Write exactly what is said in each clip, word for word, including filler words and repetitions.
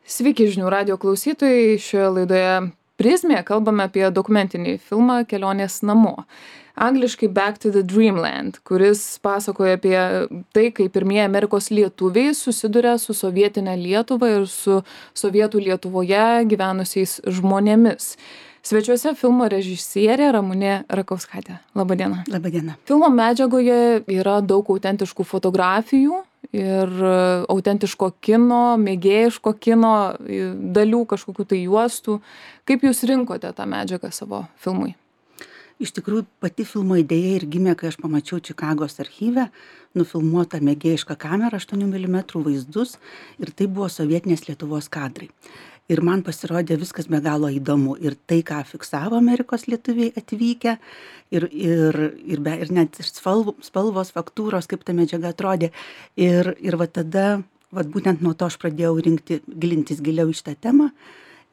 Sveiki žinių radijo klausytojai, šioje laidoje Prizmė kalbame apie dokumentinį filmą Kelionės namo. Angliškai Back to the Dreamland, kuris pasakoja apie tai, kaip pirmieji Amerikos lietuviai susiduria su sovietinė Lietuva ir su sovietų Lietuvoje gyvenusiais žmonėmis. Svečiuose filmo režisierė Ramunė Rakauskaitė. Labadiena. Labadiena. Filmo medžiagoje yra daug autentiškų fotografijų ir autentiško kino, mėgėjiško kino dalių, kažkokių tai juostų. Kaip jūs rinkote tą medžiagą savo filmui? Iš tikrųjų, pati filmo idėja ir gimė, kai aš pamačiau Čikagos archyve nufilmuotą mėgėjišką kamerą aštuonių milimetrų vaizdus ir tai buvo sovietinės Lietuvos kadrai. Ir man pasirodė viskas be galo įdomu. Ir tai, ką fiksavo Amerikos lietuviai atvykę, ir, ir, ir, be, ir net spalvos, spalvos, faktūros, kaip ta medžiaga atrodė. Ir, ir va tada, va būtent nuo to aš pradėjau rinkti, gilintis giliau į šitą temą.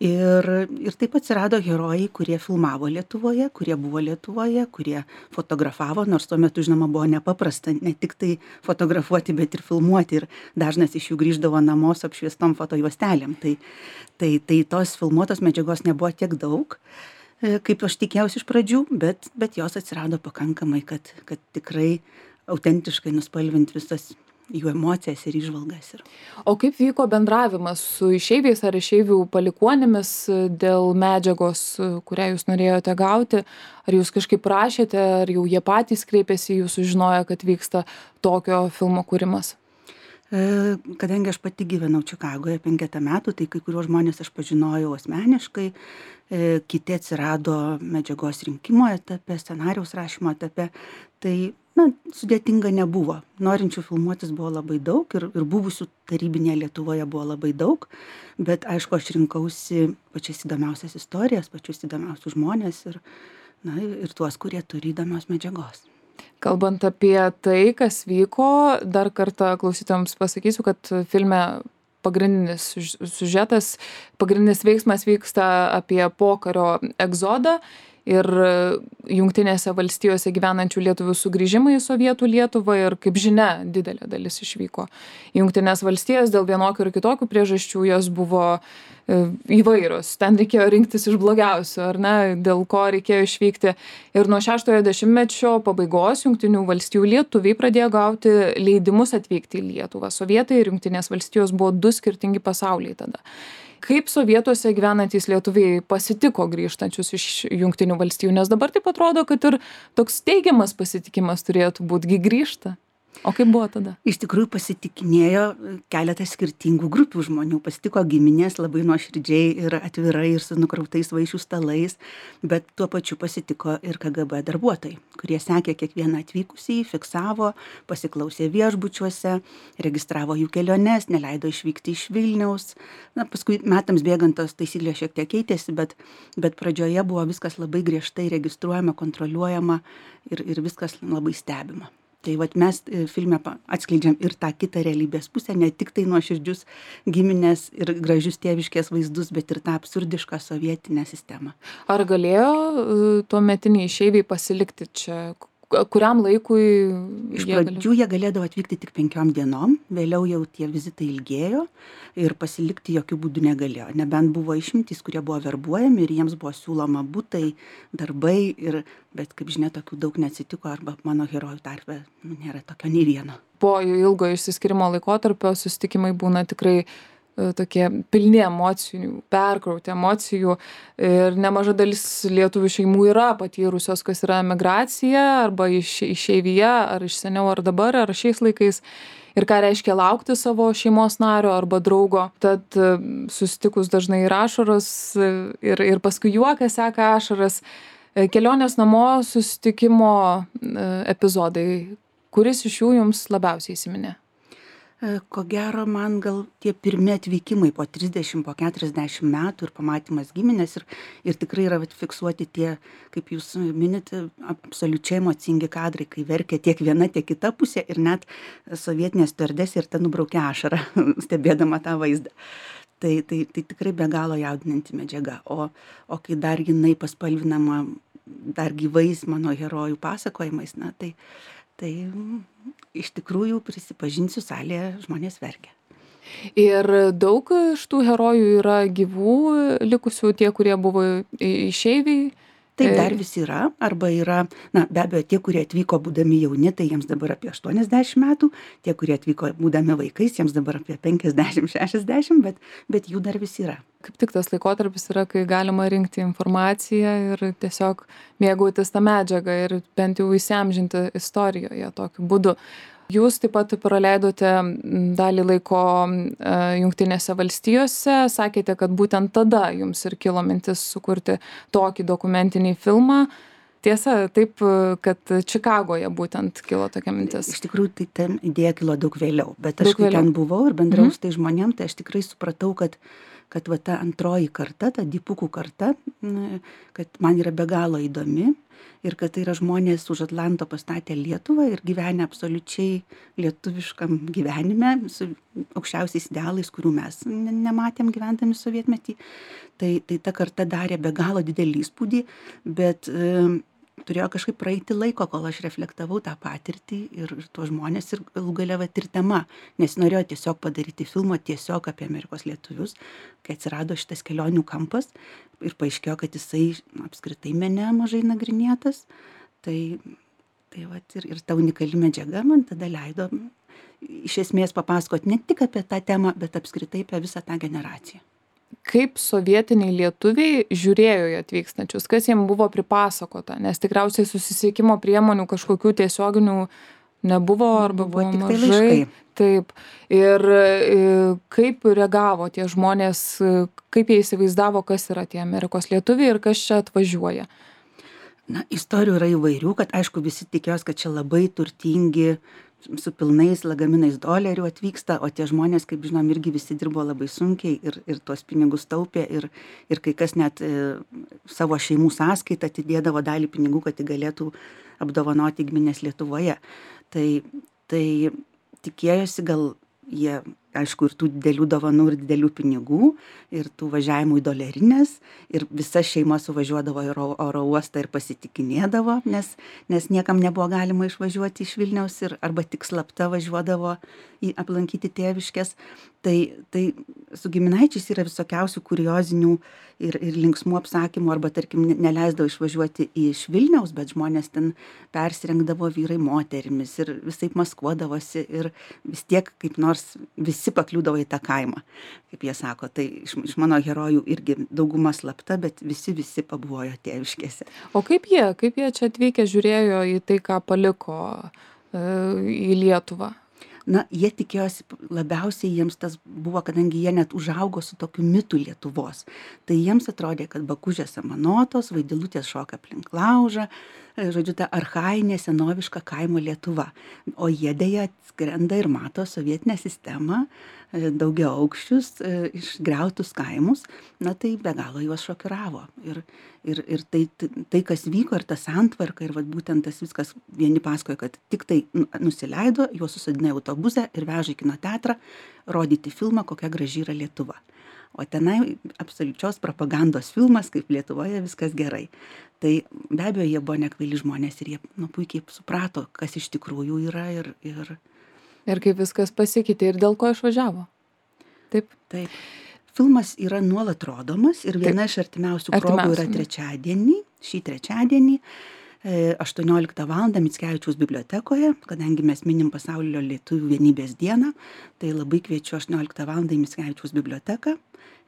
Ir, ir taip atsirado herojai, kurie filmavo Lietuvoje, kurie buvo Lietuvoje, kurie fotografavo, nors tuo metu, žinoma, buvo nepaprasta ne tik tai fotografuoti, bet ir filmuoti. Ir dažnas iš jų grįždavo namo su apšviestom fotojuostelėm. Tai, tai, tai tos filmuotos medžiagos nebuvo tiek daug, kaip aš tikėjausi iš pradžių, bet, bet jos atsirado pakankamai, kad, kad tikrai autentiškai nuspalvinti visas jų emocijas ir įžvalgas. O kaip vyko bendravimas su išeiviais ar išeivių palikuonėmis dėl medžiagos, kurią jūs norėjote gauti? Ar jūs kažkaip prašėte, ar jau jie patys kreipėsi, jūs sužinojo, kad vyksta tokio filmo kūrimas? Kadangi aš pati gyvenau Čikagoje penketą metų, tai kai kuriuos žmonės aš pažinojau asmeniškai, kiti atsirado medžiagos rinkimo etape, scenarijaus rašymo etape, tai na, sudėtinga nebuvo. Norinčių filmuotis buvo labai daug ir, ir buvusių tarybinėje Lietuvoje buvo labai daug, bet aišku, aš rinkausi pačias įdomiausias istorijas, pačius įdomiausius žmonės ir, na, ir tuos, kurie turi įdomios medžiagos. Kalbant apie tai, kas vyko, dar kartą klausytojams pasakysiu, kad filme pagrindinis siužetas, pagrindinis veiksmas vyksta apie pokario egzodą ir Jungtinėse valstijose gyvenančių lietuvių sugrįžimą į Sovietų Lietuvą ir, kaip žinia, didelė dalis išvyko į Jungtinės valstijas dėl vienokių ir kitokių priežasčių, jos buvo įvairios. Ten reikėjo rinktis iš blogiausių, ar ne, dėl ko reikėjo išvykti. Ir nuo šeštojo dešimtmečio pabaigos Jungtinių valstijų lietuviai pradėjo gauti leidimus atvykti į Lietuvą. Sovietai ir Jungtinės valstijos buvo du skirtingi pasauliai tada. Kaip sovietuose gyvenantys lietuviai pasitiko grįžtančius iš Jungtinių valstijų, nes dabar taip atrodo, kad ir toks teigiamas pasitikimas turėtų būti, grįžta. O kaip buvo tada? Iš tikrųjų pasitikinėjo keletas skirtingų grupių žmonių. Pasitiko giminės labai nuoširdžiai ir atvirai ir su nukrautais vaišių stalais, bet tuo pačiu pasitiko ir K G B darbuotojai, kurie sekė kiekvieną atvykusį, fiksavo, pasiklausė viešbučiuose, registravo jų keliones, neleido išvykti iš Vilniaus. Na, paskui metams bėgant tos taisyklės šiek tiek keitėsi, bet, bet pradžioje buvo viskas labai griežtai registruojama, kontroliuojama ir, ir viskas labai stebima. Tai vat mes filme atskleidžiam ir tą kitą realybės pusę, ne tik tai nuoširdžius giminės ir gražius tėviškės vaizdus, bet ir tą absurdišką sovietinę sistemą. Ar galėjo tuometiniai išeiviai pasilikti čia? Kuriam laikui iš pradžių jie galėdavo atvykti tik penkiom dienom, vėliau jau tie vizitai ilgėjo ir pasilikti jokių būdų negalėjo. Nebent buvo išimtys, kurie buvo verbuojami ir jiems buvo siūloma butai, darbai, ir, bet kaip žinia, tokių daug neatsitiko arba mano herojų tarpe nėra tokio nei vieno. Po ilgo išsiskyrimo laikotarpio susitikimai būna tikrai tokie pilni emocijų, perkrauti emocijų ir nemaža dalis lietuvių šeimų yra patyrusios, kas yra emigracija arba iš, išeivija, ar iš seniau, ar dabar, ar šiais laikais ir ką reiškia laukti savo šeimos nario arba draugo. Tad susitikus dažnai ir ašaros ir, ir paskui juokas seka ašaras. Kelionės namo susitikimo epizodai, kuris iš jų jums labiausiai įsiminė? Ko gero, man gal tie pirmi atvykimai po trisdešimt, po keturiasdešimt metų ir pamatymas giminės ir, ir tikrai yra fiksuoti tie, kaip jūs minite, absoliučiai emocingi kadrai, kai verkia tiek viena, tiek kita pusė ir net sovietinė stiuardesė ir ta nubraukia ašarą, stebėdama tą vaizdą. Tai, tai, tai tikrai be galo jaudinanti medžiaga. O, o kai dar jinai paspalvinama dar gyvais mano herojų pasakojimais, na tai... Tai iš tikrųjų, prisipažinsiu, salėje žmonės verkia. Ir daug iš tų herojų yra gyvų likusių, tie, kurie buvo išeiviai? Taip, dar vis yra, arba yra, na, be abejo, tie, kurie atvyko būdami jauni, tai jiems dabar apie aštuoniasdešimt metų, tie, kurie atvyko būdami vaikais, jiems dabar apie penkiasdešimt šešiasdešimt, bet, bet jų dar vis yra. Kaip tik tas laikotarpis yra, kai galima rinkti informaciją ir tiesiog mėgautis tą medžiagą ir bent jau įsiamžinti istorijoje tokiu būdu. Jūs taip pat praleidote dalį laiko Jungtinėse valstijose, sakėte, kad būtent tada jums ir kilo mintis sukurti tokį dokumentinį filmą. Tiesa, taip, kad Čikagoje būtent kilo tokia mintis. Iš tikrųjų, tai ten idėja kilo daug vėliau, bet aš kai ten buvau ir bendrau su tai žmonėm, tai aš tikrai supratau, kad kad va ta antroji karta, ta dipukų karta, kad man yra be galo įdomi ir kad tai yra žmonės už Atlanto pastatę Lietuvą ir gyvenę absoliučiai lietuviškam gyvenime su aukščiausiais idealais, kurių mes nematėm gyvendami sovietmetį. Tai, tai ta karta darė be galo didelį įspūdį, bet e, turėjo kažkaip praeiti laiko, kol aš reflektavau tą patirtį ir, ir tuos žmonės ir galų gale vat ir tema, nes norėjau tiesiog padaryti filmą tiesiog apie Amerikos lietuvius, kai atsirado šitas kelionių kampas ir paaiškėjo, kad jisai apskritai mene mažai nagrinėtas, tai, tai vat ir, ir ta unikali medžiaga man tada leido iš esmės papasakoti ne tik apie tą temą, bet apskritai apie visą tą generaciją. Kaip sovietiniai lietuviai žiūrėjo į atvykstančius, kas jiems buvo pripasakota, nes tikriausiai susisiekimo priemonių kažkokių tiesioginių nebuvo arba buvo mažai. Taip. Ir kaip reagavo tie žmonės, kaip jie įsivaizdavo, kas yra tie Amerikos lietuviai ir kas čia atvažiuoja? Na, istorijų yra įvairių, kad aišku visi tikėjos, kad čia labai turtingi su pilnais lagaminais dolerių atvyksta, o tie žmonės, kaip žinom, irgi visi dirbo labai sunkiai ir, ir tuos pinigus taupė ir, ir kai kas net e, savo šeimų sąskaitą atidėdavo dalį pinigų, kad jie galėtų apdovanoti giminės Lietuvoje. Tai, tai tikėjosi gal jie, aišku, ir tų didelių dovanų ir didelių pinigų ir tų važiavimų į dolerinės ir visa šeima suvažiuodavo į oro uostą ir pasitikinėdavo, nes, nes niekam nebuvo galima išvažiuoti iš Vilniaus ir arba tik slapta važiuodavo į aplankyti tėviškės. Tai, tai su giminaičiais yra visokiausių kuriozinių ir, ir linksmų apsakymų arba, tarkim, neleisdavo išvažiuoti iš Vilniaus, bet žmonės ten persirengdavo vyrai moterimis ir visaip maskuodavosi ir vis tiek kaip nors visi pakliūdavo į tą kaimą, kaip jie sako. Tai iš, iš mano herojų irgi dauguma slapta, bet visi visi pabuvojo tėviškėse. O kaip jie, kaip jie čia atvykę žiūrėjo į tai, ką paliko e, į Lietuvą? Na, jie tikėjosi, labiausiai jiems tas buvo, kadangi jie net užaugo su tokiu mitu Lietuvos. Tai jiems atrodė, kad Bakūžės samanotos, Vaidilutės šoka aplink laužą, žodžiu, ta archainė senoviška kaimo Lietuva. O jie dėja atskrenda ir mato sovietinę sistemą, daugiaaukščius, išgriautus kaimus, na tai be galo juos šokiravo. Ir, ir, ir tai, tai, kas vyko, ir ta santvarka, ir vat, būtent tas viskas, vieni pasakojo, kad tik tai nusileido, juos susadina autobusą ir veža į kino teatrą rodyti filmą, kokia graži yra Lietuva. O tenai absoliučios propagandos filmas, kaip Lietuvoje viskas gerai. Tai be abejo, jie buvo nekvaili žmonės ir jie nu, puikiai suprato, kas iš tikrųjų yra ir... ir Ir kaip viskas pasikeitė ir dėl ko išvažiavo. Taip. Taip. Filmas yra nuolat rodomas ir viena Taip. Iš artimiausių progų yra trečiadienį, šį trečiadienį, aštuonioliktą valandą Mickevičiaus bibliotekoje, kadangi mes minim Pasaulio lietuvių vienybės dieną, tai labai kviečiu aštuonioliktą valandą į Mickevičiaus biblioteką,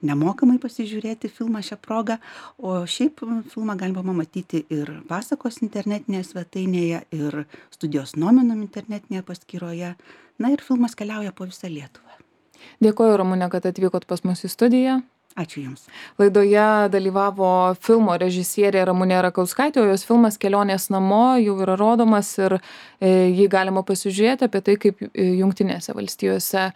nemokamai pasižiūrėti filmą šią progą, o šiaip filmą galima matyti ir Pasakos internetinėje svetainėje, ir Studijos Nominum internetinėje paskyroje, na ir filmas keliauja po visą Lietuvą. Dėkoju, Ramune, kad atvykot pas mus į studiją. Ačiū Jums. Laidoje dalyvavo filmo režisierė Ramunė Rakauskaitė, o jos filmas Kelionės namo jau yra rodomas ir jį galima pasižiūrėti apie tai, kaip Jungtinėse valstijose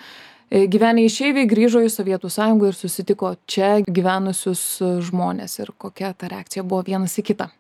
gyvenę išeiviai grįžo į Sovietų sąjungą ir susitiko čia gyvenusius žmones ir kokia ta reakcija buvo vienas į kitą.